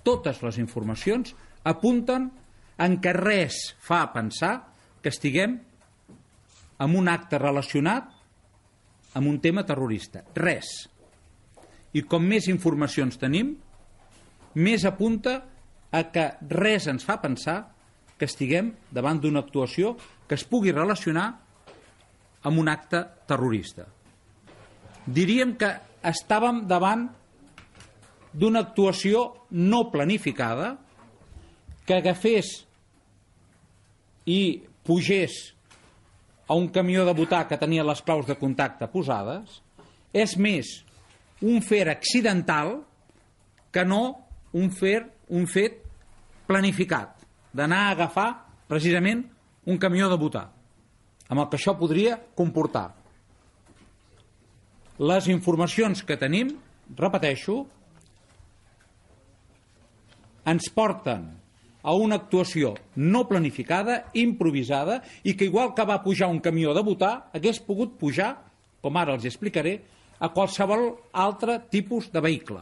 totes les informacions apunten en que res fa pensar que estiguem en un acte relacionat amb un tema terrorista. Res. I com més informacions tenim, més apunta a que res ens fa pensar que estiguem davant d'una actuació que es pugui relacionar amb un acte terrorista. Diríem que estàvem davant d'una actuació no planificada que agafés i pugés a un camió de votar que tenia les claus de contacte posades. És més un fet accidental que no un fet planificat, d'anar a agafar precisament un camió de votar, amb el que això podria comportar. Les informacions que tenim, repeteixo, ens porten a una actuació no planificada, improvisada, i que igual que va pujar un camió de votar, hagués pogut pujar, com ara els explicaré, a qualsevol altre tipus de vehicle.